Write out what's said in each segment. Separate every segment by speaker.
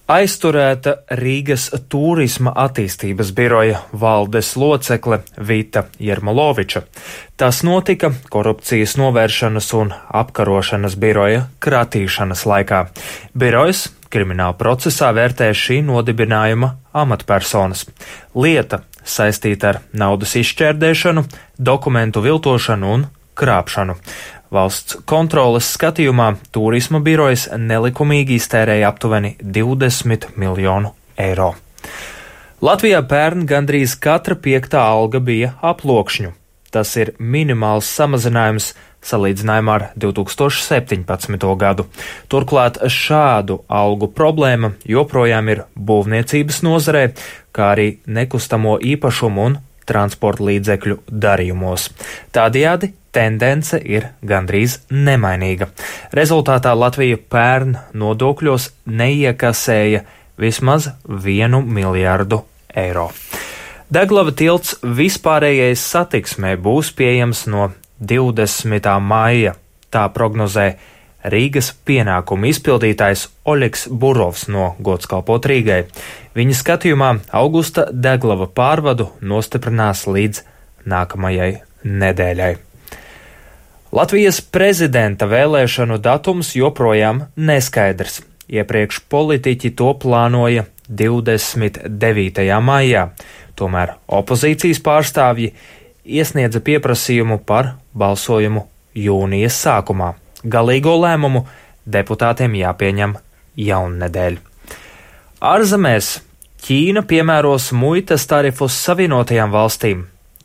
Speaker 1: Aizturēta Rīgas turisma attīstības biroja valdes locekle Vita Jermoloviča. Tas notika korupcijas novēršanas un apkarošanas biroja kratīšanas laikā. Birojs krimināla procesā vērtē šī nodibinājuma amatpersonas. Lieta saistīta ar naudas izšķērdēšanu, dokumentu viltošanu un krāpšanu. Valsts kontroles skatījumā turisma birojas nelikumīgi iztērēja aptuveni 20 miljonu eiro. Latvijā pērn gandrīz katra 5. alga bija aploksņu. Tas ir minimāls samazinājums salīdzinājumā ar 2017. gadu. Turklāt šādu algu problēma joprojām ir būvniecības nozarē, kā arī nekustamo īpašumu un transporta līdzekļu darījumos. Tādējādi tendence ir gandrīz nemainīga. Rezultātā Latvija pērn nodokļos neiekasēja vismaz 1 miljardu eiro. Daglava tilts vispārējais satiksmē būs pieejams no 20. maija. Tā prognozē Rīgas pienākumu izpildītājs Oļegs Burovs no Godskalpot Rīgai. Viņa skatījumā augusta deglava pārvadu nostiprinās līdz nākamajai nedēļai. Latvijas prezidenta vēlēšanu datums joprojām neskaidrs. Iepriekš politiķi to plānoja 29. maijā, tomēr opozīcijas pārstāvji iesniedza pieprasījumu par balsojumu jūnijas sākumā. Galīgo lēmumu deputātiem jāpieņem jaunnedēļ. Ārzemēs Ķīna piemēros muitas tarifus Savienotajām valstīm.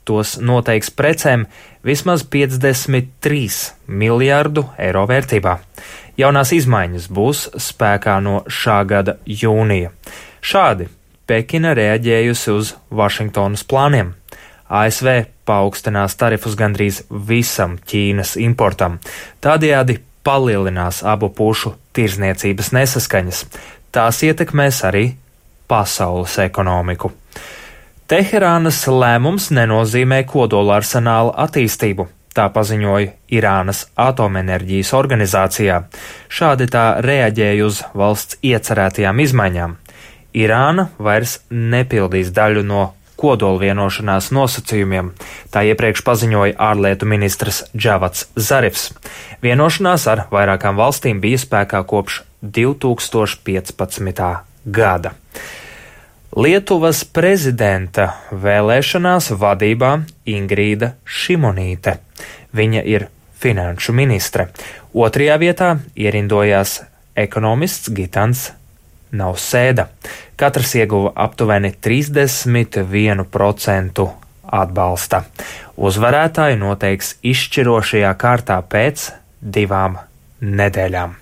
Speaker 1: Tos noteiks precēm vismaz 53 miljārdu eiro vērtībā. Jaunās izmaiņas būs spēkā no šā gada jūnija. Šādi Pekina reaģējusi uz Vašingtonas plāniem. ASV paaugstinās tarifus gandrīz visam Ķīnas importam. Tādējādi palielinās abu pušu tirzniecības nesaskaņas. Tās ietekmēs arī pasaules ekonomiku. Teherānas lēmums nenozīmē kodolarsenāla attīstību, tā paziņoja Irānas atomenerģijas organizācijā. Šādi tā reaģēja uz valsts iecerētajām izmaiņām. Irāna vairs nepildīs daļu no kodolvienošanās nosacījumiem, tā iepriekš paziņoja ārlietu ministrs Džavats Zarifs. Vienošanās ar vairākām valstīm bija spēkā kopš 2015. gada. Lietuvas prezidenta vēlēšanās vadībā Ingrīda Šimonīte. Viņa ir finanšu ministre. Otrajā vietā ierindojās ekonomists Gitans Nausēda. Katrs ieguva aptuveni 31% atbalsta. Uzvarētāju noteiks izšķirošajā kārtā pēc 2 nedēļām.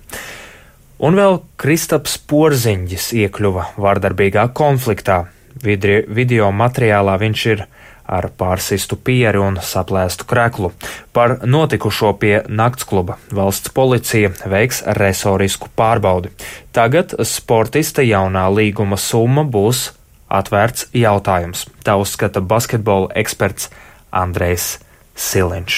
Speaker 1: Un vēl Kristaps Porziņģis iekļuva vardarbīgā konfliktā. Video materiālā viņš ir ar pārsistu pieri un saplēstu kreklu. Par notikušo pie naktskluba valsts policija veiks resorisku pārbaudi. Tagad sportista jaunā līguma summa būs atvērts jautājums. Tā uzskata basketbola eksperts Andrejs Siliņš.